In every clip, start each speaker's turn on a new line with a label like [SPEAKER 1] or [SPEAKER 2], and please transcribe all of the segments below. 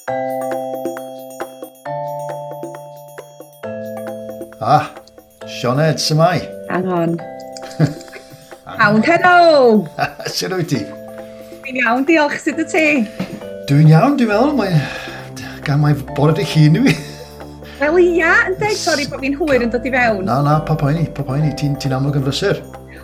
[SPEAKER 1] Ah, Sioned, s'mai?
[SPEAKER 2] Hang on. Iawn, helo!
[SPEAKER 1] Sut wyt ti?
[SPEAKER 2] Dwi'n iawn, diolch. Sut wyt ti?
[SPEAKER 1] Dwi'n iawn, dwi'n meddwl. Mae... Gan mai bore dy hun i fi.
[SPEAKER 2] Wel ia, yn deg, sori bod fi'n hwyr yn dod i fewn.
[SPEAKER 1] Na, na, pa poeni, pa poeni. Ti'n ti amlwg yn frysur.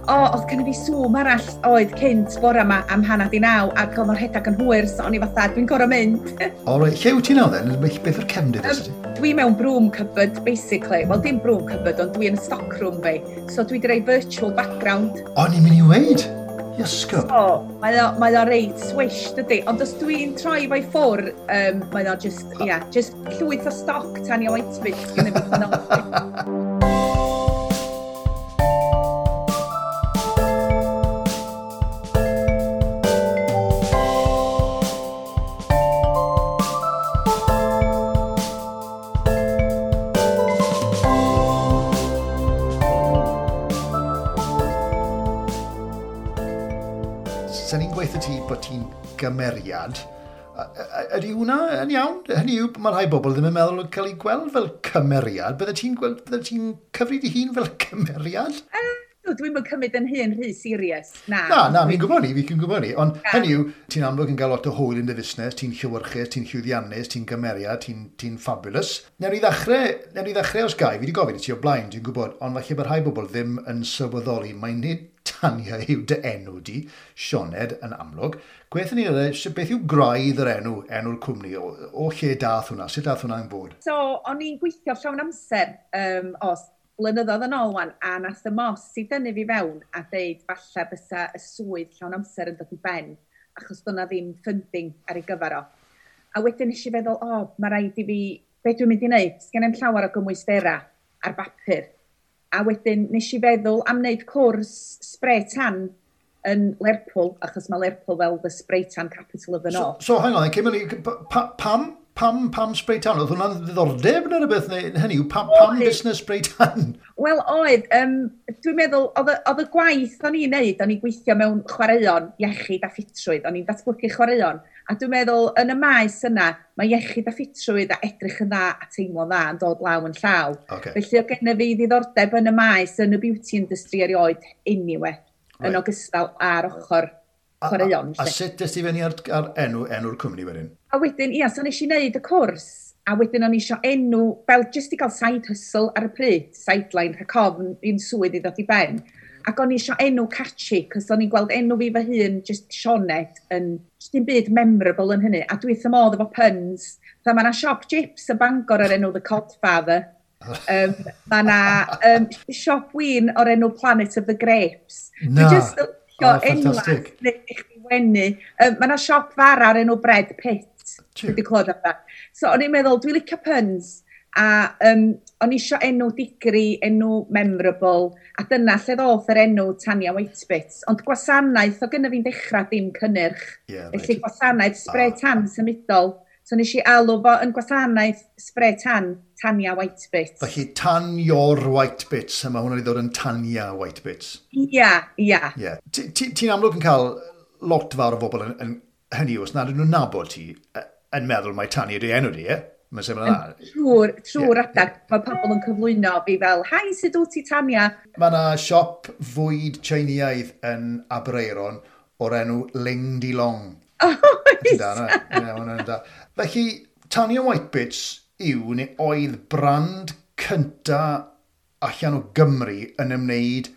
[SPEAKER 2] O, oedd gen i fi Zoom arall oedd cynt bore yma am 9:30, ac oedd o'n rhedeg yn hwyr, so o'n i fatha, dwi'n gorau mynd.
[SPEAKER 1] O, reit, lle wyt ti nawr then? Beth yw'r cefndir um, ti?
[SPEAKER 2] Dwi mewn broom cupboard, basically. Wel, dim broom cupboard, ond dwi yn stockroom fi. So dwi wedi rhoi virtual background.
[SPEAKER 1] O, ni'n mynd i weid? Iesgob.
[SPEAKER 2] So, mae o reit swish, dydy. Ond os dwi'n troi fo'i ffwr, mae o just, yeah, just llwyth o stoc Tanya Whitebits gyda fi fan o.
[SPEAKER 1] Sa'n ni'n gweithio ti bod ti'n gymeriad. Ydy hwnna yn iawn? Hynny yw, mae rhai bobl ddim yn meddwl cael ei gweld fel cymeriad. Bydde ti'n gweld, bydde ti'n cyfri dy hun fel cymeriad?
[SPEAKER 2] Dwi'n mynd cymryd yn hun rhy serious.
[SPEAKER 1] Na. Na, na, fi'n gwybod ni, fi'n gwybod ni. Ond hynny yw, ti'n amlwg yn cael lot o hwyl yn dy fusnes, ti'n llewyrchus, ti'n llwyddiannus, ti'n gymeriad, ti'n ti fabulous. Newn ni ddechrau os gai, fi wedi gofyn i ti o blaen, dwi'n gwybod, ond falle bod rhai bobl ddim yn sylweddoli, mae'n nid Tanya yw dy enw di, Sioned yn amlwg. Gwethon ni oedd, beth yw graidd yr enw, enw'r cwmni, o lle dath hwnna, sut dath hwnna'n bod?
[SPEAKER 2] So, o'n i'n gweithio llawn amser, os blynyddoedd yn ôl wan, a nath y mos i dynnu fi fewn a deud falle bysa y swydd llawn amser yn dod i ben, achos do'na ddim funding ar ei gyfer o. A wedyn nes i feddwl, o, mae rhaid i fi, be dwi'n mynd i wneud? Sgen i'm llawer o gymwysterau ar bapur. A wedyn nes i feddwl am wneud cwrs spray tan yn Lerpwl, achos mae Lerpwl fel the spray tan capital of the north.
[SPEAKER 1] So hang on, cyn mynd, pam spray tan? Oedd hwnna'n ddiddordeb neu rhywbeth? Neu, hynny yw, pam busnes spray tan?
[SPEAKER 2] Wel, oedd. Dwi'n meddwl, oedd y gwaith o'n i'n neud, o'n i'n gweithio mewn chwaraeon, iechyd a ffitrwydd, o'n i'n datblygu chwaraeon. A dwi'n meddwl, yn y maes yna, mae iechyd a ffitrwydd a edrych yn dda a teimlo'n dda yn dod law yn llaw.
[SPEAKER 1] Okay.
[SPEAKER 2] Felly, oedd gennym fi ddiddordeb yn y maes, yn y beauty industry erioed, anyway,
[SPEAKER 1] right.
[SPEAKER 2] Yn ogystal â'r ochr chwaraeon.
[SPEAKER 1] A sut des ti fyny ar enw'r cwmni wedyn?
[SPEAKER 2] A wedyn, ia, so nes i wneud y cwrs, a wedyn o'n i isio enw, fel jyst i gael side hustle ar y pryd, sideline, rhag ofn i'n swydd i ddod i ben. Ac o'n i isio enw catchy, cos o'n i'n gweld enw fi fy hun, just Sioned, yn just dim byd memorable yn hynny. A dwi wrth fy modd efo puns. Fatha mae 'na siop chips yn Bangor o'r enw The Codfather. Mae 'na siop win o'r enw Planet of the Grapes.
[SPEAKER 1] Na.
[SPEAKER 2] Dwi just yn licio enwa neu i chdi wenu. Mae 'na siop fara o'r enw Bread Pit. Dwi wedi clywed amdano. So o'n i'n meddwl, dwi'n licio puns. A o'n i isio enw digri, enw memorable, a dyna lle ddoth yr enw Tanya Whitebits. Ond gwasanaeth o gynna fi'n dechrau dim cynnyrch.
[SPEAKER 1] Yeah, right.
[SPEAKER 2] Felly gwasanaeth spray tan symudol. So nes i alw fo yn gwasanaeth spray tan, Tanya Whitebits.
[SPEAKER 1] Felly Tan Your Whitebits, a mae hwnna wedi dod yn Tanya Whitebits.
[SPEAKER 2] Ia, ia.
[SPEAKER 1] Yeah. Ti'n amlwg yn cael lot fawr o bobl yn hynny os nad ydyn nhw'n nabod ti, yn meddwl mai Tanya ydy enw di, ie? Mae'n syml yna.
[SPEAKER 2] Trwy'r adag, mae pobl yn cyflwyno fi fel, hi, sut wyt ti, Tanya?
[SPEAKER 1] Mae yna siop fwyd Chinaidd yn Aberaeron o'r enw Ling Di Long.
[SPEAKER 2] Oes!
[SPEAKER 1] Da. Felly, Tanya Whitebits yw neu oedd brand cynta allan o Gymru yn ymwneud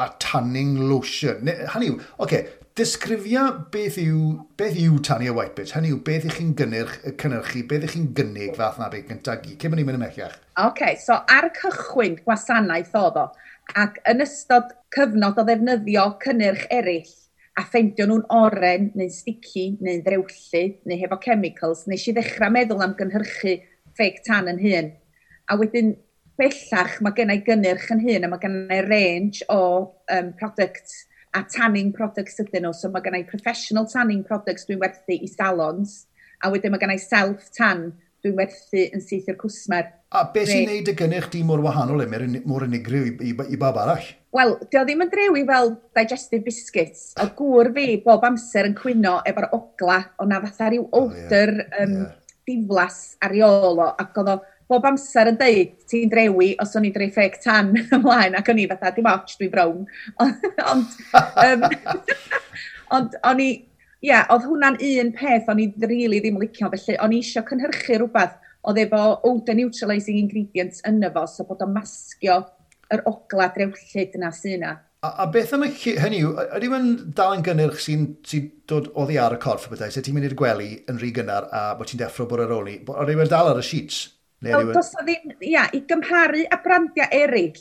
[SPEAKER 1] â tanning lotion. Hynny yw, oce, disgrifia beth yw Tanya Whitebits. Hynny yw, beth ych chi'n cynhyrchu, beth ych chi'n gynnig fath na beth gyntaf gyd. Cyn bod ni'n mynd ymhellach.
[SPEAKER 2] Oce, so ar y cychwyn gwasanaeth oedd o, ac yn ystod cyfnod o ddefnyddio cynnyrch eraill, a ffeindio nhw'n oren, neu'n sticky, neu'n ddrewllyd, neu hefo chemicals, nes i ddechrau meddwl am gynhyrchu fake tan yn hun. A wedyn bellach mae gen i gynnyrch yn hun, a mae gen i range o products a tanning products ydyn nhw. So mae gen i professional tanning products dwi'n werthu i salons, a wedyn mae gen i self-tan dwi'n werthu yn syth i'r cwsmer.
[SPEAKER 1] A beth sy'n neud y gynnyrch di mor wahanol, mor unigryw i bawb arall?
[SPEAKER 2] Wel, dio ddim yn drewi fel digestive biscuits. O gŵr fi bob amser yn cwyno efo'r ogla, o na fatha rhyw odour diflas ar ei ôl o, ac oedd o bob amser yn deud, ti'n drewi os o'n i'n dreu fake tan ymlaen, ac o'n i fatha, dim ots, dwi'n brown. Ond, ond o'n i, ie, yeah, oedd hwnna'n un peth o'n i really ddim licio, felly o'n i eisiau cynhyrchu rhywbeth oedd efo odour neutralising ingredients yno fo, so bod o'n masgio yr ogla drewllyd yna sy'n yna.
[SPEAKER 1] A beth am y hynny yw, ydy mae'n dal yn gynnyrch sy'n sy dod oddi ar y corff y bethau, so ti'n mynd i'r gwely yn rhy gynnar a bod ti'n deffro bod ar ôl ni, ydy mae'n dal ar y sheets?
[SPEAKER 2] Neu ydy does ddim, ia, i gymharu â brandiau eraill,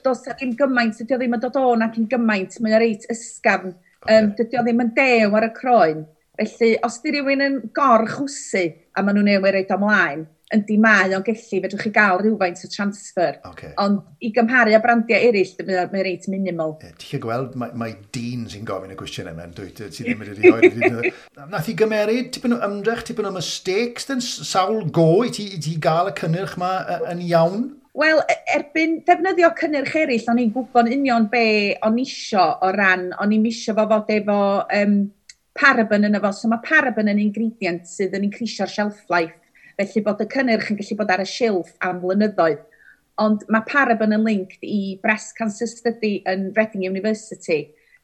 [SPEAKER 2] does ddim gymaint, dydy o ddim yn dod o'n ac yn gymaint, mae'n reit ysgafn, dydy o ddim yn dew ar y croen. Felly, os di rhywun yn gorchwsu a maen nhw'n newid reit ymlaen, yndi mae o'n gellu, fedrwch chi gael rhywfaint o transfer. Ond i gymharu â brandiau eraill, mae reit minimal.
[SPEAKER 1] Ti'n gallu gweld, mae dyn sy'n gofyn y cwestiwn yma, dwi, ti ddim wedi rhoi. Nath i gymeryd tipyn o ymdrech, tipyn o mistakes, dyn sawl go i ti gael y cynnyrch yma yn iawn?
[SPEAKER 2] Wel, erbyn defnyddio cynnyrch eraill, o'n i'n gwybod union be o'n isio o ran, o'n i'n isio fo fod efo paraben yno fo. So mae paraben yn ingredient sydd yn increasio'r shelf life. Felly bod y cynnyrch yn gallu bod ar y silff am flynyddoedd. Ond mae paraben yn linked i breast cancer study yn Reading University,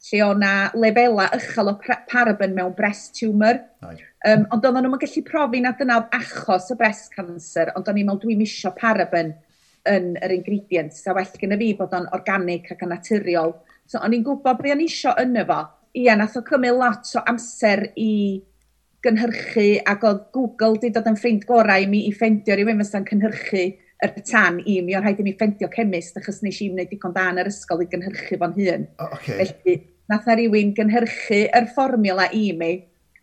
[SPEAKER 2] lle o na lefela uchel o paraben mewn breast tumour. Ond oedden nhw'n gallu profi na dyna oedd achos y breast cancer, ond o'n i'n meddwl dwi'n isio paraben yn yr ingredients, a well gyda fi bod o'n organic ac yn naturiol. So o'n i'n gwybod be o'n isio yno fo. Ia, nath o cymryd lot o amser i gynhyrchu, ac oedd Google di dod yn ffrind gorau i mi i ffendio rhywun fysa'n cynhyrchu yr tan i mi. O'n rhaid i mi ffendio chemist, achos nes i wneud digon da yn yr ysgol i gynhyrchu fo'n hun. Felly, nath na rhywun gynhyrchu yr fformiwla i mi,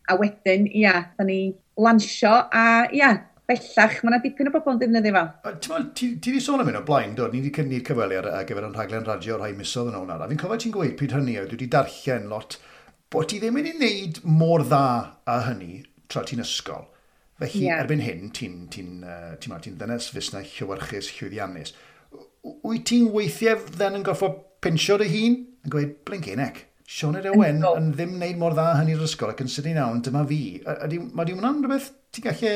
[SPEAKER 2] a wedyn, ia, da ni lansio, a ia, bellach, mae yna dipyn o bobl yn defnyddio fo.
[SPEAKER 1] Ti'n ti wedi sôn am hyn o blaen, do? Ni wedi cynnig cyfweliad ar gyfer yn rhaglen radio rhai misoedd yn ôl nawr. A fi'n cofio ti'n gweud pryd hynny, a dwi wedi darllen lot, bod ti ddim wedi wneud mor dda â hynny tra ti'n ysgol. Felly, erbyn hyn, ti ddynes fusnes llewyrchus, llwyddiannus. Wyt ti'n weithiau then yn gorfod pinsio dy hun? Yn gweud, blinking heck, Sioned Owen yn ddim wneud mor dda hynny'r ysgol ac yn sydyn iawn, dyma fi. Mae di hwnna'n rhywbeth ti'n gallu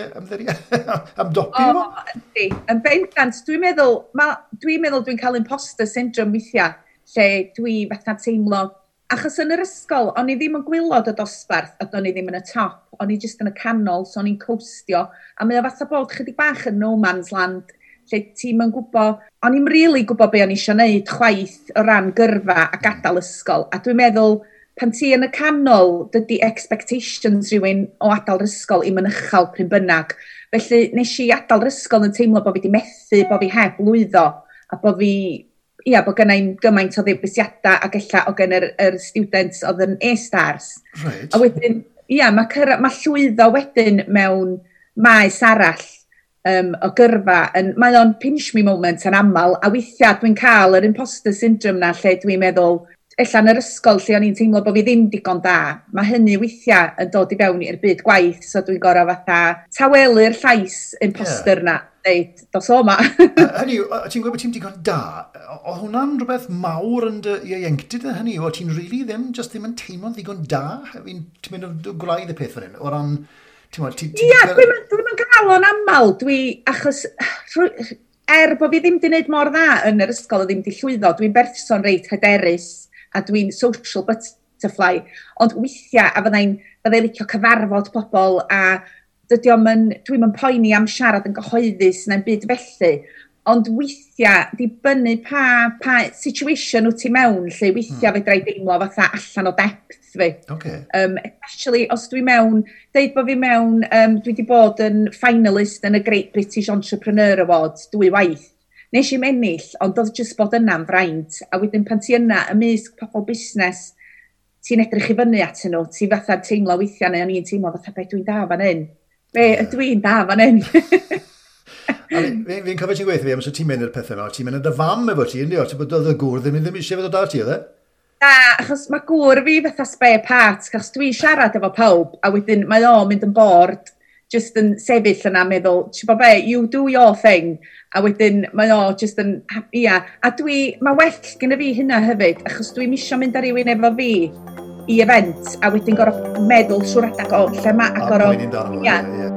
[SPEAKER 1] ymdopi efo?
[SPEAKER 2] O, yndi. Yn bendant, dwi'n meddwl, dwi'n meddwl dwi'n cael imposter syndrome weithiau, lle dwi fatha teimlo, achos yn yr ysgol, o'n i ddim yn gwaelod y dosbarth, ac o'n i ddim yn y top, o'n i jyst yn y canol, so o'n i'n coastio, a mae o fatha bod chydig bach yn no man's land, lle ti'm yn gwybod, o'n i'm really gwybod be o'n i isio wneud chwaith o ran gyrfa a gadael ysgol, a dwi'n meddwl, pan ti yn y canol, dydy expectations rhywun o adael yr ysgol i'm yn uchel pryn bynnag. Felly nes i adael yr ysgol yn teimlo bod fi wedi methu, bod fi heb lwyddo, a bod fi, ia, bod gynna i'm gymaint o ddewisiadau ac ella o gen yr students oedd yn A-stars. A wedyn, ia, mae llwyddo wedyn mewn maes arall o gyrfa, mae o'n pinch me moment yn aml, a weithiau dwi'n cael yr imposter syndrome na lle dwi'n meddwl, ella yn yr ysgol lle o'n i'n teimlo bod fi ddim digon da, mae hynny weithiau yn dod i fewn i'r byd gwaith, so dwi'n gorau fatha tawelu'r llais imposter na, deud, dos o ma.
[SPEAKER 1] Hynny yw, ti'n gweud bod ti'n digon da, oedd hwnna'n rhywbeth mawr yn dy ieuenctid yn hynny yw, o ti'n really ddim, just ddim yn teimlo'n ddigon da? Ti'n mynd o gwraidd y peth fan hyn, o ran, ti'n gwbod, ti
[SPEAKER 2] Ia,
[SPEAKER 1] 'di
[SPEAKER 2] dwi'm yn gael o'n aml, dwi, achos, er bod fi ddim 'di wneud mor dda yn yr ysgol a ddim 'di llwyddo, dwi'n berson reit hyderus a dwi'n social butterfly, ond weithiau, a fyddai'n licio cyfarfod pobl, a dydy o'm yn, dwi'm yn poeni am siarad yn gyhoeddus na'n byd felly, ond weithiau, dibynnu pa situation wyt ti mewn, lle weithiau fedra i deimlo fatha allan o depth fi. Especially os dwi mewn, deud bod fi mewn, dwi wedi bod yn finalist yn y Great British Entrepreneur Awards 2 waith. Nes i'm ennill, ond oedd jyst bod yna'n fraint. A wedyn pan ti yna ymysg pobl busnes, ti'n edrych i fyny atyn nhw, ti fatha teimlo weithiau, neu o'n i'n teimlo fatha, be dwi'n da fan hyn? Be ydw i'n da fan hyn?
[SPEAKER 1] A fi'n cofio ti'n gweithio fi, amser ti'n mynd i'r pethau yma, ti'n mynd â dy fam efo ti, yndi o? Ti'n bod oedd y gŵr ddim eisiau fod o da ti, oedd e?
[SPEAKER 2] Na, achos mae gŵr fi fatha spare part, achos dwi'n siarad efo pawb, a wedyn mae o'n mynd yn bored, just yn sefyll yna meddwl, ti'n bod be, you do your thing, a wedyn mae o just yn, ia, a dwi, mae well gyda fi hynna hefyd, achos dwi'n isio mynd â rhywun efo fi i event, a wedyn gorfod meddwl trwy'r adag o lle ma, a
[SPEAKER 1] A
[SPEAKER 2] gorfod
[SPEAKER 1] poeni amdano fo,
[SPEAKER 2] ia.
[SPEAKER 1] ie, ie.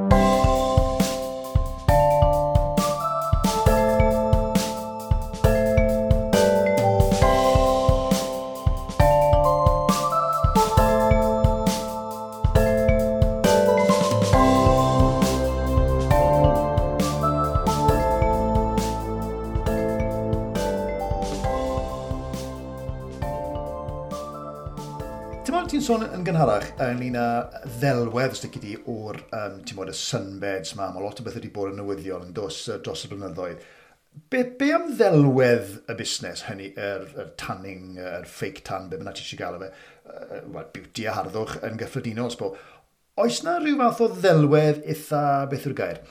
[SPEAKER 1] Ti'n meddwl ti'n sôn yn gynharach ynglyn â ddelwedd os di o'r ti'n meddwl, y sunbeds ma, mae lot o beth wedi bod yn newyddion yn dros y blynyddoedd. Be am ddelwedd y busnes hynny, yr tanning, yr fake tan, be bynnag ti eisiau gael o fe, well, beauty a harddwch yn gyffredinol, sbo. Oes na rhyw fath o ddelwedd eitha, beth yw'r gair?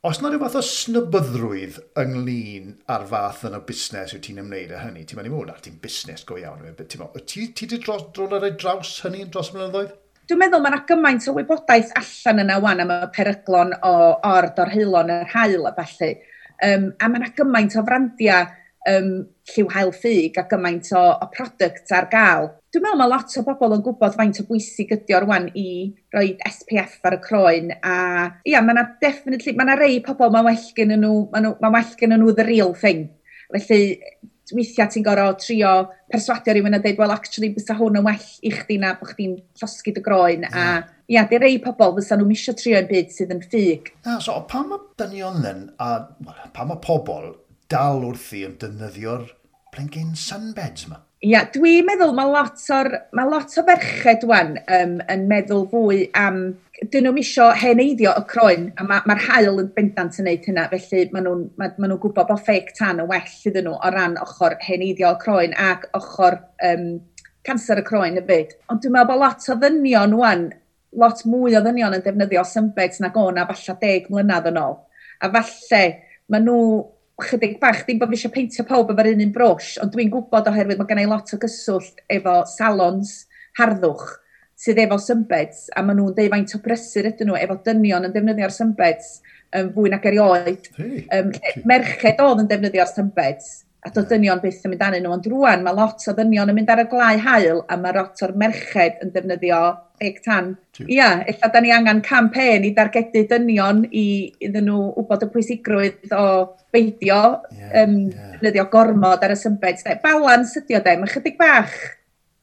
[SPEAKER 1] Oes na rhyw fath o snobyddrwydd ynglyn â'r fath yna o busnes yw ti'n ymwneud â hynny? Ti'n mynd i fod, ti'n busnes go iawn. Ti wedi dod ar ei draws hynny dros y blynyddoedd?
[SPEAKER 2] Dwi'n meddwl mae yna gymaint o wybodaeth allan yna wan am y peryglon o or-dorheulon yr haul a ballu. A mae yna gymaint o frandiau lliw haul ffug a gymaint o products ar gael. Dwi'n meddwl mae lot o bobl yn gwybod faint o bwysig ydi o rwan i roi SPF ar y croen. A ia, mae yna definitely, mae yna rei pobl mae'n well gen nhw, mae well gen nhw the real thing. Felly, weithiau ti'n gorfod trio perswadio rhywun a dweud, well, actually, bysa hwn yn well i chdi na bod chdi'n llosgi dy groen. A ia, di rei pobl fysa nhw'n misio trio yn byd sydd yn ffug.
[SPEAKER 1] Na, so pam mae dynion then, a well, pam mae pobl dal wrthi yn defnyddio'r blinking sunbeds yma?
[SPEAKER 2] Ia, dwi'n meddwl mae lot o ferched wan yn meddwl fwy am, dyn nhw'n isio heneiddio y croen, a mae'r haul yn bendant yn neud hynna, felly maen nhw'n gwybod bod fake tan yn well iddyn nhw o ran ochr heneiddio y croen ac ochr canser y croen hefyd. Ond dwi'n meddwl bod lot o ddynion wan, lot mwy o ddynion yn defnyddio sunbeds nag o na falle 10 mlynedd yn ôl. A falle maen nhw chydig bach, ddim bod fi eisiau peintio pawb efo'r un brwsh, ond dwi'n gwybod oherwydd mae gen i lot o gyswllt efo salons harddwch sydd efo sunbeds, a maen nhw'n deud faint o brysur ydyn nhw efo dynion yn defnyddio'r sunbeds fwy nag erioed.
[SPEAKER 1] Hey.
[SPEAKER 2] Merched oedd yn defnyddio'r sunbeds, a doedd dynion byth yn mynd arnyn nhw, ond rwan mae lot o ddynion yn mynd ar y glau haul, a mae lot o'r merched yn defnyddio fake tan. Ia, ella da ni angen campaign i dargedu dynion i iddyn nhw wybod y pwysigrwydd o beidio defnyddio gormod ar y sunbeds. Balans ydi o de, mae chydig bach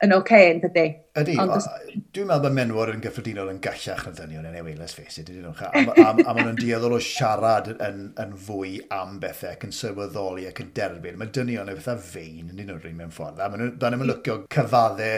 [SPEAKER 2] yn oce, yn dydy.
[SPEAKER 1] Ydy, dwi'n meddwl bod menywod yn gyffredinol yn gallach na ddynion, anyway, let's face it, ydyn nhw. A maen nhw'n dueddol o siarad yn fwy am bethau ac yn sylweddoli ac yn derbyn. Mae dynion yn fatha fein yn un o'r un mewn ffordd. A maen nhw'n licio cyfadde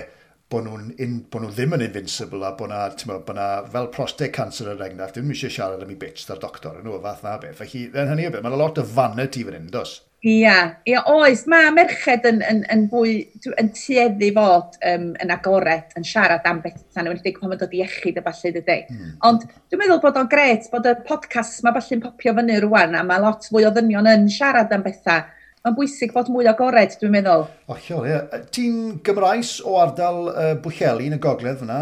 [SPEAKER 1] bod nhw ddim yn invincible a bod na fel prostate cancer er enghraifft, ddim eisiau siarad am ei bits da'r doctor, yn nhw, fath na beth. Felly, yn hynny o beth, mae'n lot o vanity fan hyn, does?
[SPEAKER 2] Ia, oes. Mae merched yn fwy, yn tueddu fod yn agored, yn siarad am bethau, yn enwedig pan mae'n dod i iechyd a ballu, dydy. Ond dwi'n meddwl bod o'n gret bod y podcast mae ballu'n popio fyny rwan, a mae lot fwy o ddynion yn siarad am bethau. Mae'n bwysig bod mwy agored, dwi'n meddwl.
[SPEAKER 1] Hollol, ie. Ti'n Gymraes o ardal Bwllheli yn y gogledd fyna.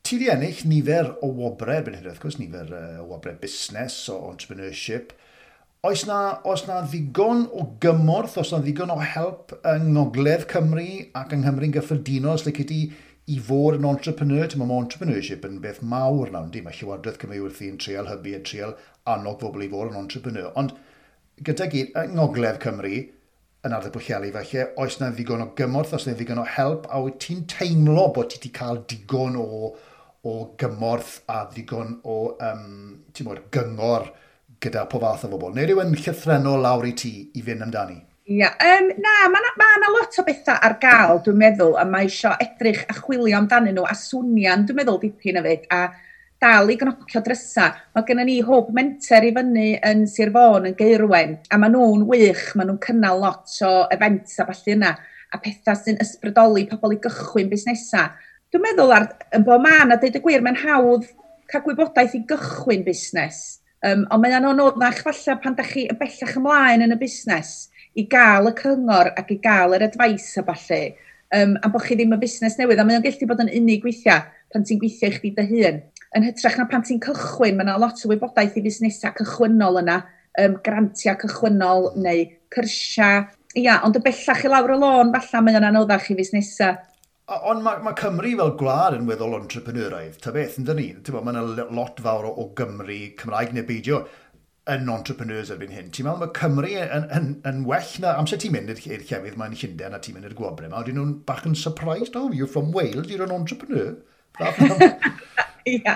[SPEAKER 1] Ti di ennill nifer o wobrau, erbyn hyn, wrth gwrs, nifer o wobrau busnes, o entrepreneurship. Oes na ddigon o gymorth, oes na ddigon o help yng Ngogledd Cymru ac yng Nghymru'n gyffredinol, os lici ti i fod yn entrepreneur? Ti'n meddwl, mae entrepreneurship yn beth mawr nawr, yndi? Mae Llywodraeth Cymru wrthi'n treial hybu a treial annog bobl i fod yn entrepreneur. Ond gyda gyd, yng Ngogledd Cymru, yn ardal Pwllheli falle, oes na ddigon o gymorth, oes na ddigon o help, a wyt ti'n teimlo bod ti wedi cael digon o gymorth a ddigon o ti'n bod, gyngor gyda po fath o bobl? Neu rhywun llythrennol lawr i ti i fynd amdani?
[SPEAKER 2] Ia, na, mae yna lot o bethau ar gael, dwi'n meddwl, a mae eisiau edrych a chwilio amdanyn nhw, a swnian, dwi'n meddwl, dipyn hefyd, a dal i gnocio drysa. Mae gennym ni hwb menter i fyny yn Sir Fôn, yn Gaerwen, a maen nhw'n wych, maen nhw'n cynnal lot o events a ballu yna, a pethau sy'n ysbrydoli pobl i gychwyn busnesau. Dwi'n meddwl yn bob man, a deud y gwir, mae'n hawdd cael gwybodaeth i gychwyn busnes. Ond mae'n anoddach falle pan da chi yn bellach ymlaen yn y busnes i gael y cyngor ac i gael yr advice a ballu. A bod chi ddim yn busnes newydd, a mae'n gallu bod yn unig weithiau pan ti'n gweithio i chdi dy hun. Yn hytrach na pan ti'n cychwyn, mae yna lot o wybodaeth i fusnesau cychwynnol yna, grantiau cychwynnol neu cyrsiau. Ia, ond y bellach i lawr y lôn, falle mae o'n anoddach i fusnesau.
[SPEAKER 1] Ond mae Cymru fel gwlad yn weddol entrepreneuraidd, ta beth, yn dyn ni? Mae yna lot fawr o Gymru, Cymraeg neu beidio, yn entrepreneurs erbyn hyn. Ti'n meddwl mae Cymru yn well na... Amser ti'n mynd i'r llefydd mae'n Llundain a ti'n mynd i'r gwobrau yma, oedden nhw'n bach yn surprised, oh, you're from Wales, you're an entrepreneur.
[SPEAKER 2] Ia.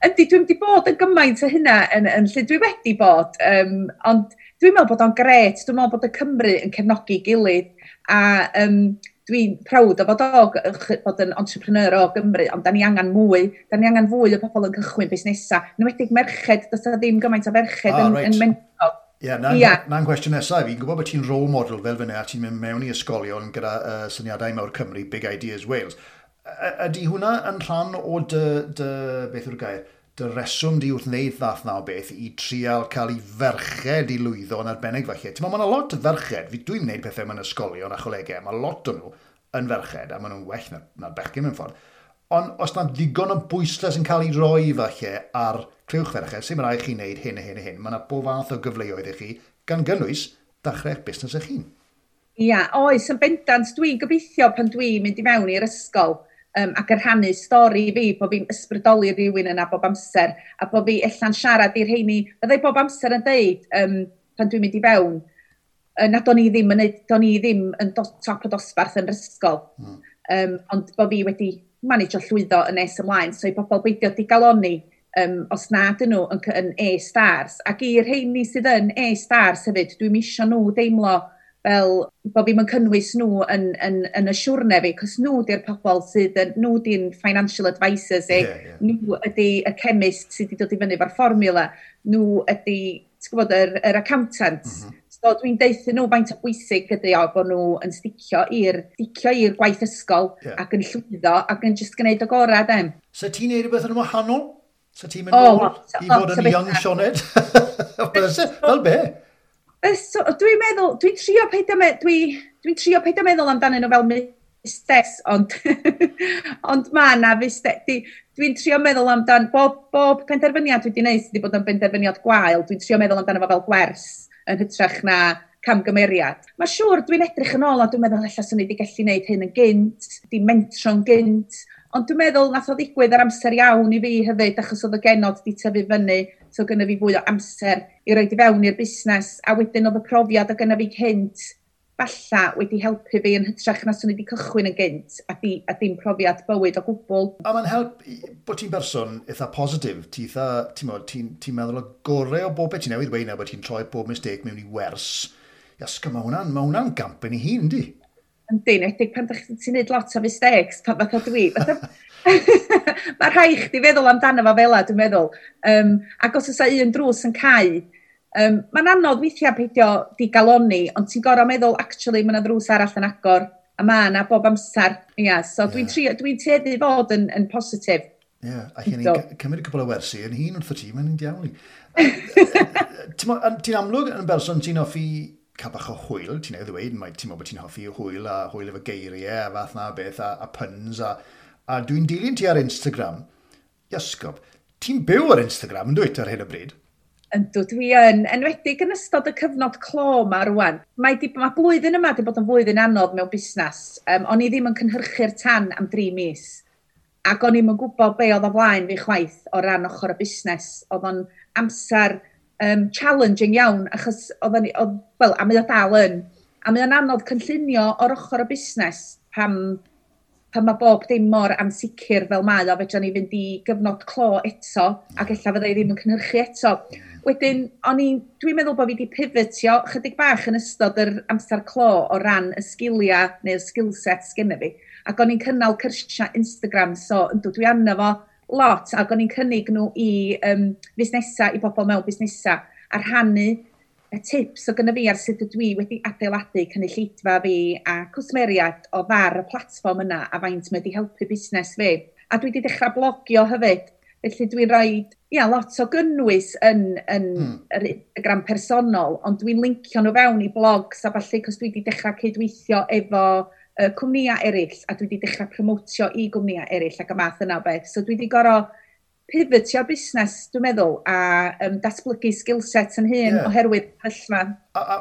[SPEAKER 2] Yndi, dwi'n wedi bod yn gymaint o hynna yn lle dwi wedi bod, ond dwi'n meddwl bod o'n gret, dwi'n meddwl bod y Cymru yn cefnogi gilydd, a Dwi'n proud o fod yn entrepreneur o Gymru, ond da ni angen mwy, da ni angen fwy o bobl yn cychwyn busnesau. Yn enwedig merched, does 'na ddim gymaint o ferched yn mentro.
[SPEAKER 1] Ie, yeah, na'n cwestiwn nesaf. Fi'n gwybod bod ti'n role model fel fyna, a ti'n mynd mewn i ysgolion gyda Syniadau Mawr Cymru, Big Ideas Wales. Ydy hwnna yn rhan o dy beth yw'r gair, dy reswm di wrth wneud fath na o beth i trial cael ei ferched i lwyddo yn arbennig falle? Ti'n meddwl, mae yna lot o ferched, dwi'n gwneud pethau mewn ysgolion a cholegau, mae lot o nhw yn ferched, a maen nhw'n well na'r bechgyn mewn ffordd. Ond os na ddigon o bwyslais yn cael ei roi falle ar clywch ferched, sy'n rhaid chi wneud hyn a hyn a hyn, mae yna bob fath o gyfleoedd i chi, gan gynnwys dechrau'ch busnes eich hun.
[SPEAKER 2] Ia, oes, yn bendant, dwi'n gobeithio pan dwi'n mynd i mewn i'r ysgol ac yn rhannu stori fi, bod fi'n ysbrydoli rhywun yna bob amser, a bod fi ella'n siarad i'r rheini, byddai bob amser yn deud pan dwi'n mynd i fewn, na do'n i ddim yn, do'n i ddim yn top y dosbarth yn yr ysgol. Ond bod fi wedi manage o llwyddo yn nes ymlaen, so i bobl beidio digalonni os na dyn nhw yn A-stars. Ac i'r rheini sydd yn A-stars hefyd, dwi'n isio nhw deimlo fel bod fi'n cynnwys nhw yn y siwrne fi, cos nhw di'r pobl sydd yn, nhw di'n financial advisors i, yeah. Nhw ydy y chemist sydd wedi dod i fyny efo'r fformula, nhw ydy, ti'n gwybod, yr accountants. So dwi'n deutha nhw faint o bwysig ydy o bod nhw yn sticio i'r gwaith ysgol ac yn llwyddo ac yn just gwneud o gorau dem.
[SPEAKER 1] So ti'n neud rhywbeth yn wahanol? So ti'n mynd nôl i fod yn young Sioned? Fel be?
[SPEAKER 2] So, dwi'n meddwl, dwi'n trio peidio meddwl amdanyn nhw fel mistakes, ond mae na mistake. Dwi'n trio meddwl amdan, bob penderfyniad dwi wedi gwneud sydd wedi bod yn benderfyniad gwael, dwi'n trio meddwl amdano fo fel gwers yn hytrach na camgymeriad. Mae siŵr dwi'n edrych yn ôl a dwi'n meddwl ella swn i wedi gallu gwneud hyn yn gynt, di mentro'n gynt, ond dwi'n meddwl nath o ddigwydd ar amser iawn i fi hefyd, achos oedd y genod di tyfu fyny, so gynna fi fwy o amser i roid i fewn i'r busnes, a wedyn oedd y profiad o gynna fi cynt falla wedi helpu fi yn hytrach na swn i wedi cychwyn yn gynt a dim profiad bywyd o gwbl.
[SPEAKER 1] A mae'n help bod ti'n berson eitha positif, ti eitha, ti'n ti, ti meddwl o gorau o bob beth ti'n newydd weud na bod ti'n troi bob mistake mewn i wers. Iasga, mae hwnna'n gamp yn ei hun, di?
[SPEAKER 2] Yndi, enwedig pan ti'n neud lot o mistakes, pan fatha dwi. Fatha, mae rhaid chdi feddwl amdano fo fel dwi'n meddwl. Ac os oes un drws yn cau, mae'n anodd weithiau peidio digalonni, ond ti'n gorau meddwl, actually, mae yna ddrws arall yn agor, a mae yna bob amser. Yeah, so dwi tueddu fod yn positif.
[SPEAKER 1] Ie, yeah, a chi'n cymryd cwpl o wersi yn hun wrth y ti, mae'n diawl i. Ti'n amlwg yn berson ti'n hoffi cael bach o hwyl, ti'n ei ddweud, mae ti'n meddwl bod ti'n hoffi hwyl a hwyl efo geiriau a fath na beth a puns a dwi'n dilyn ti ar Instagram. Iasgob, ti'n byw ar Instagram yn dwyt ar hyn o bryd?
[SPEAKER 2] Yndw, dwi yn, enwedig yn ystod y cyfnod clo ma rwan. Mae blwyddyn yma wedi bod yn flwyddyn anodd mewn busnes. O'n i ddim yn cynhyrchu'r tan am 3 mis. Ac o'n i'm yn gwybod be oedd o flaen fi chwaith o ran ochr y busnes. Oedd o'n amser challenging iawn, achos oedd, wel, a mae o dal yn. A mae o'n anodd cynllunio o'r ochr y busnes pan mae bob dim mor ansicr fel mae o, fedra ni fynd i gyfnod clo eto, ac ella fydda i ddim yn cynhyrchu eto. Wedyn, dwi'n meddwl bod fi wedi pivotio chydig bach yn ystod yr amser clo o ran y sgiliau neu'r skill set sgynna fi. Ac o'n i'n cynnal cyrsiau Instagram, so yndw, dwi arno fo lot, ac o'n i'n cynnig nhw i fusnesau, i bobl mewn busnesau, a rhannu y tips o gynna fi ar sut ydw i wedi adeiladu cynulleidfa fi a cwsmeriad o ddar y platfform yna a faint mae wedi helpu busnes fi. A dwi wedi dechrau blogio hefyd, felly dwi'n rhoi ia, lot o gynnwys yn yr Instagram personol, ond dwi'n lincio nhw fewn i blogs a falle, cos dwi wedi dechrau cydweithio efo cwmnïau eraill, a dwi wedi dechrau promotio i gwmnïau eraill ac y math yna o beth. So dwi wedi gorau pivotio busnes, dwi'n meddwl, a datblygu skill set yn hun oherwydd sefyllfa.
[SPEAKER 1] A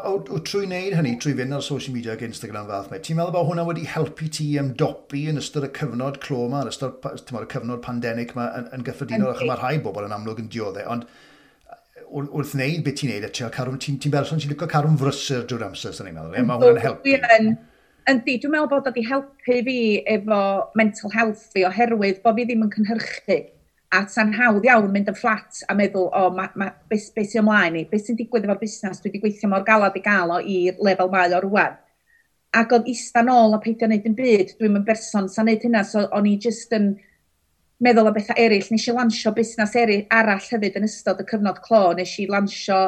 [SPEAKER 1] trwy wneud hynny, trwy fynd ar social media ac Instagram fath mae, ti'n meddwl bod hwnna wedi helpu ti ymdopi yn ystod y cyfnod clo yma, yn ystod ti'n meddwl, y cyfnod pandemig yma yn gyffredinol, achos mae rhai bobl yn amlwg yn dioddef, ond wrth wneud beth ti'n neud, a ti'n cadw, ti'n berson ti'n licio cadw'n frysur drwy'r amser, sy'n ni'n meddwl, ie? Mae hwnna'n helpu.
[SPEAKER 2] Dwi yn, yndi, dwi'n meddwl bod wedi helpu fi efo mental health fi oherwydd bod fi ddim yn cynhyrchu. A sa'n hawdd iawn mynd yn fflat a meddwl, o, ma, be sy'n ymlaen i? Be sy'n digwydd efo'r busnes? Dwi wedi gweithio mor galad i gael o i'r lefel mae o rwan. Ac oedd ista nôl a peidio wneud yn byd, dwi'n yn berson sa'n neud hynna, so o'n i just yn meddwl o bethau eraill. Nes i lansio busnes eraill arall hefyd yn ystod y cyfnod clo. Nes i lansio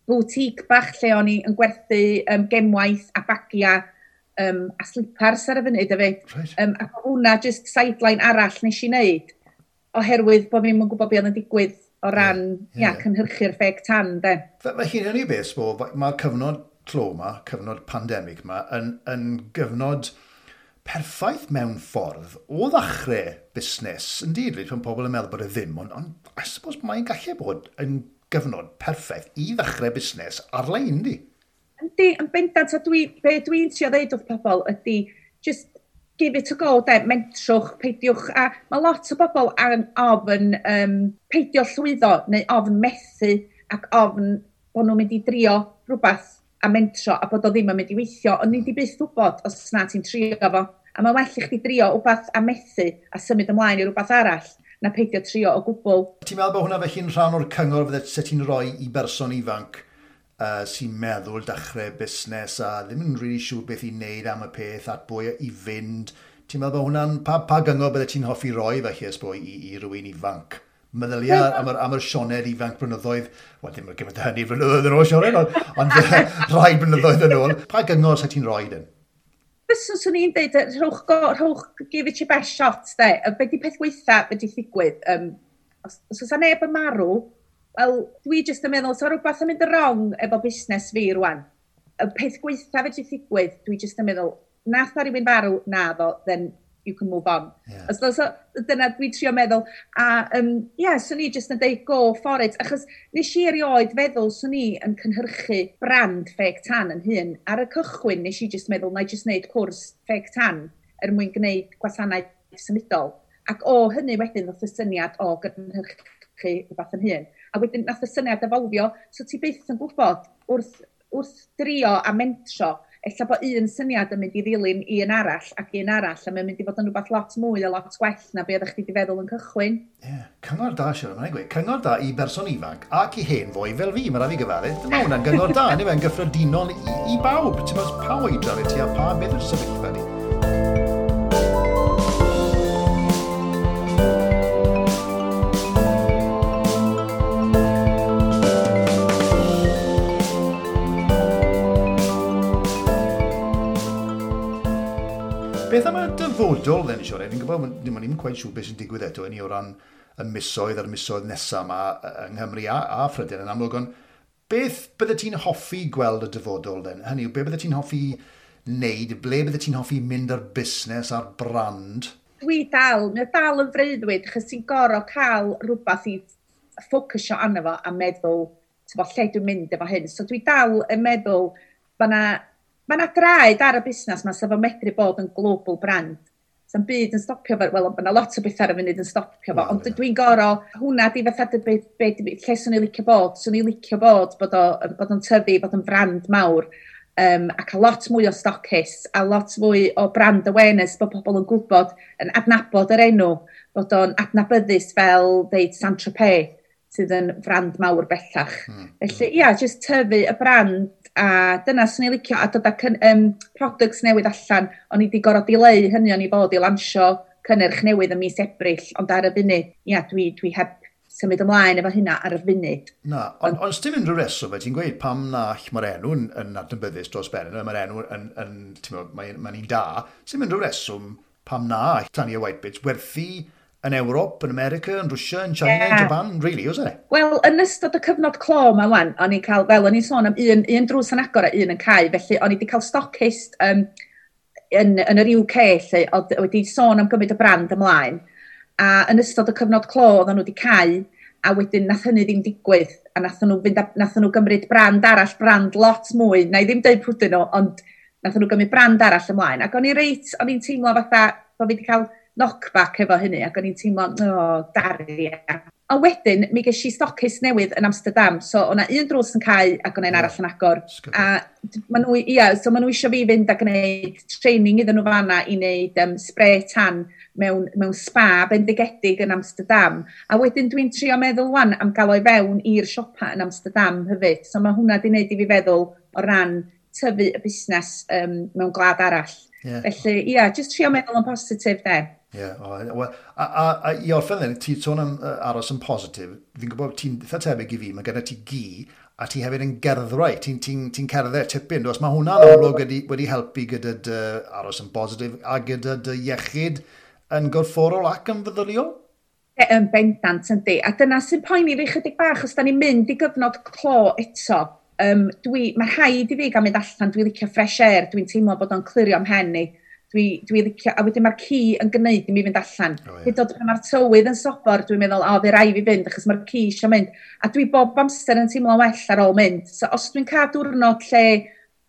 [SPEAKER 2] boutique bach lle o'n i yn gwerthu gemwaith a bagia a slipars ar y funud hefyd.
[SPEAKER 1] Right.
[SPEAKER 2] Ac hwnna just sideline arall nes i wneud, oherwydd bod fi'n gwybod beth oedd yn digwydd o ran cynhyrchu'r fake tan, de.
[SPEAKER 1] Felly, hynny beth, mae'r cyfnod clo yma, cyfnod pandemig yma, yn gyfnod perffaith mewn ffordd o ddechrau busnes. Indeed, pan pobl yn meddwl bod e ddim, ond I suppose mae'n gallu bod yn gyfnod perffaith i ddechrau busnes ar-lein, di?
[SPEAKER 2] Yndi, yn bendant, a be dwi'n trio ddeud wrth pobl ydy, just give it a go, de, mentrwch, peidiwch, a mae lot o bobl ofn peidio llwyddo, neu ofn methu, ac ofn bod nhw'n mynd i drio rhywbeth a mentro, a bod o ddim yn mynd i weithio, ond ni di byth wybod os na ti'n trio fo. A mae'n well i chdi drio rhywbeth a methu a symud ymlaen i rhywbeth arall, na peidio trio o gwbl.
[SPEAKER 1] Ti'n meddwl bod hwnna felly'n rhan o'r cyngor fydde se ti'n rhoi i berson ifanc sy'n meddwl dechrau busnes a ddim yn really siŵr beth i wneud am y peth at bwy i fynd? Ti'n meddwl bod hwnna'n, pa gyngor bydde ti'n hoffi roi felly ysbo i rywun ifanc? Meddylia am yr Sioned ifanc blynyddoedd, wel ddim yn gymaint o hynny blynyddoedd yn ôl Sioned, ond rhai blynyddoedd yn ôl. Pa gyngor sa ti'n rhoi dyn?
[SPEAKER 2] Fyswn swn i'n dweud, rhowch, give it your best shot, de. Be di peth gweitha wedi ddigwydd? Os oes neb yn marw, wel, dwi jyst yn meddwl, so rhywbeth yn mynd yn wrong efo busnes fi rwan. Y peth gweitha wedi ddigwydd, dwi jyst yn meddwl, nath na rhywun farw, na ddo, then you can move on.
[SPEAKER 1] Yeah.
[SPEAKER 2] So, dyna dwi'n trio meddwl. A swn i jyst yn deud go for it, achos nes i erioed feddwl swn i yn cynhyrchu brand fake tan yn hun. Ar y cychwyn nes i jyst meddwl, na i jyst wneud cwrs fake tan er mwyn gwneud gwasanaeth symudol. Ac o hynny wedyn ddoth y syniad o gynhyrchu rhywbeth yn hun. A wedyn nath y syniad efolfio, so ti byth yn gwybod wrth drio a mentro, ella bod un syniad yn mynd i ddilyn un arall ac un arall, a mae'n mynd i fod yn rhywbeth lot mwy a lot gwell na be oeddech chdi wedi feddwl yn cychwyn.
[SPEAKER 1] Ie, yeah. Cyngor da, Sian, mae'n gweud. Cyngor da i berson ifanc ac i hen foi fel fi, mae rhaid fi gyfadde. Dyma hwnna'n gyngor da, neu fe'n gyffredinol i bawb. Ti'n meddwl pa oedran i ti a pa beth yw'r sefyllfa di? Beth am y dyfodol, then, Sioned? Fi'n gwybod, ddim yn quite siŵr beth sy'n digwydd eto i ni o ran y misoedd a'r misoedd nesaf yma yng Nghymru a Phrydain yn amlwg, ond beth bydde ti'n hoffi gweld y dyfodol, then? Hynny yw, be bydde ti'n hoffi wneud? Ble bydde ti'n hoffi mynd ar busnes, ar brand?
[SPEAKER 2] Dwi dal, mae dal yn freuddwyd, achos ti'n gorfod cael rhywbeth i ffocysio arno fo a meddwl, ti'n bod, lle dwi'n mynd efo hyn. So dwi dal yn meddwl, mae yna draed ar y busnes yma sef o medru bod yn global brand. Sa'n byd yn stopio fo, wel, mae yna lot o bethau ar y funud yn stopio fo, ond dwi'n gorfod, hwnna di fatha lle swn i'n licio bod, swn i'n licio bod o'n tyfu, bod yn brand mawr, ac a lot mwy o stockists, a lot mwy o brand awareness, bod pobl yn gwybod, yn adnabod yr enw, bod o'n adnabyddus fel, deud, Saint-Tropez, sydd yn brand mawr bellach. Felly, ia, just tyfu y brand, a dyna swn i'n licio, a dod â products newydd allan, o'n i wedi gorfod dileu hynny, o'n i fod i lansio cynnyrch newydd ym mis Ebrill, ond ar y funud, ia, dwi heb symud ymlaen efo hynna ar y funud.
[SPEAKER 1] Na, ond dim unrhyw reswm, ti'n gweud pam na mae'r enw yn adnabyddus dros ben, mae'r enw yn mae'n un da, dim unrhyw reswm pam na Tania Whitebits werthu yn Ewrop, yn America, yn Russia, yn China, yn Japan, really, oes e?
[SPEAKER 2] Wel, yn ystod y cyfnod clo yma wan, o'n i'n cael, fel o'n i'n sôn am un drws yn agor a un yn cau, felly o'n i wedi cael stockist yn yr UK, lle, oedd wedi sôn am gymryd y brand ymlaen, a yn ystod y cyfnod clo, oedden nhw wedi cau, a wedyn nath hynny ddim digwydd, a nath nhw gymryd brand arall, brand lot mwy, na i ddim deud pwy nhw, ond nath nhw gymryd brand arall ymlaen, ac o'n i'n teimlo fatha, bod fi wedi cael knockback efo hynny, ac o'n i'n teimlo, daria. A wedyn, mi ges i stockist newydd yn Amsterdam, so o'na un drws yn cau ac o'na un arall yn agor. A ma nhw, so ma nhw eisiau fi fynd a gwneud training iddyn nhw fanna i wneud spray tan mewn spa bendigedig yn Amsterdam. A wedyn dwi'n trio meddwl wan am gael o'i fewn i'r siopa yn Amsterdam hefyd. So mae hwnna di wneud i fi feddwl o ran tyfu y busnes mewn gwlad arall. Felly, ia, yeah, just trio meddwl yn positif, de.
[SPEAKER 1] Ie, yeah, well, a i orffen then, ti'n sôn am aros yn positif, fi'n gwybod ti'n eitha tebyg i fi, mae gyda ti gi, a ti hefyd yn gerddwraig, ti'n ti cerdded tipyn, does? Mae hwnna'n amlwg wedi helpu gyda dy aros yn positif a gyda dy iechyd yn gorfforol ac yn feddyliol?
[SPEAKER 2] Yn bendant, yndi. A dyna sy'n poeni fi chydig bach, os da ni'n mynd i gyfnod clo eto, mae rhaid i fi gael mynd allan, dwi'n licio fresh air, dwi'n teimlo bod o'n clirio 'mhen i. Dwi licio, a wedyn mae'r ci yn gwneud i mi fynd allan. Oh, yeah. Hyd oed pan mae'r tywydd yn sobor, dwi'n meddwl, o, fe rai fi fynd, achos mae'r ci eisiau mynd. A dwi bob amser yn teimlo'n well ar ôl mynd. So, os dwi'n cael diwrnod lle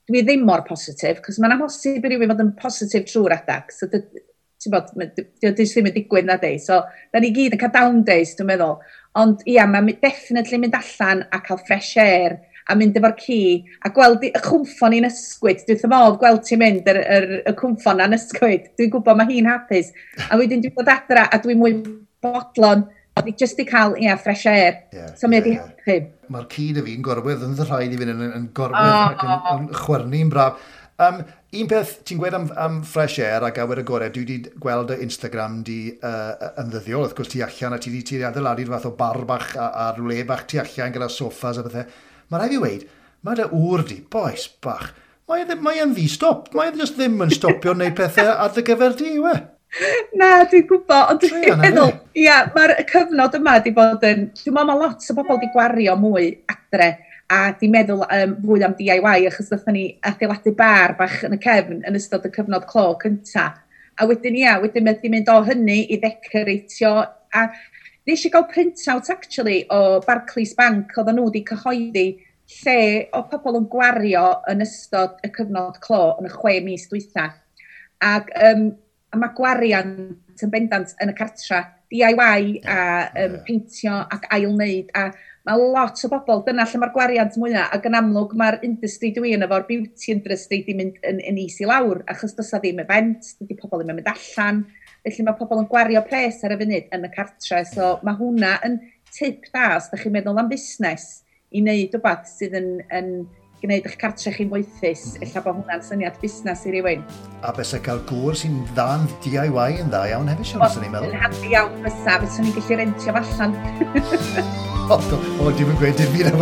[SPEAKER 2] dwi ddim mor positif, cos mae'n amhosib i rywun fod yn positif trwy'r adag. So, ti'n bod, dio ddim yn digwydd na di. So, da ni gyd yn cael down days, dwi'n meddwl. Ond ia, mae'n definitely mynd allan a cael fresh air a mynd efo'r ci a gweld y cwmffon i'n ysgwyd. Dwi'n wrth modd gweld ti'n mynd y cwmffon na'n ysgwyd. Dwi'n gwybod mae hi'n hapus. A wedyn dwi'n dod adra a dwi'n mwy bodlon. Dwi just i cael, ia, fresh air. So mae wedi helpu.
[SPEAKER 1] Mae'r ci dy fi'n gorwedd yn rhaid i fynd yn gorwedd ac yn chwyrnu'n braf. Un peth ti'n gweud am fresh air ac awyr agored, dwi wedi gweld y Instagram di yn ddyddiol, wrth gwrs ti allan a ti wedi adeiladu'r fath o bar bach ar le bach tu allan gyda soffas a bethau. Mae rhaid fi weud, mae dy ŵr di, boes bach, mae e'n ddi-stop, mae e just ddim yn stopio wneud pethau ar dy gyfer di, yw e?
[SPEAKER 2] Na, dwi'n gwybod, ond dwi'n meddwl, ia, mae'r cyfnod yma di bod yn, dwi'n meddwl mae lot o bobl di gwario mwy adre a di meddwl fwy am DIY, achos ddethon ni adeiladu bar bach yn y cefn yn ystod y cyfnod clo cynta. A wedyn, ia, wedyn mae di mynd o hynny i ddecoratio, a nes i gael print-out, actually, o Barclays Bank, oedden nhw wedi cyhoeddi lle o pobl yn gwario yn ystod y cyfnod clo yn y 6 mis dwytha. Ac a mae gwariant yn bendant yn y cartra, DIY a peintio ac ail-wneud, a mae lot o bobl, dyna lle mae'r gwariant mwyaf, ac yn amlwg mae'r industry dwi yn efo'r beauty industry di mynd yn is i lawr, achos does 'na ddim event, dydy pobl ddim yn mynd allan, felly mae pobl yn gwario pres ar y funud yn y cartre, so mae hwnna yn tip da os ydych chi'n meddwl am busnes i wneud rhywbeth sydd yn gwneud eich cartre chi'n moethus, ella bod hwnna'n syniad busnes i rywun.
[SPEAKER 1] A bys cael gŵr sy'n dda'n DIY yn dda iawn hefyd, Siôn, sy'n ni'n meddwl.
[SPEAKER 2] Yn handi iawn fysa, fyswn ni'n gallu rentio allan.
[SPEAKER 1] O, dim yn gweud dim byd am.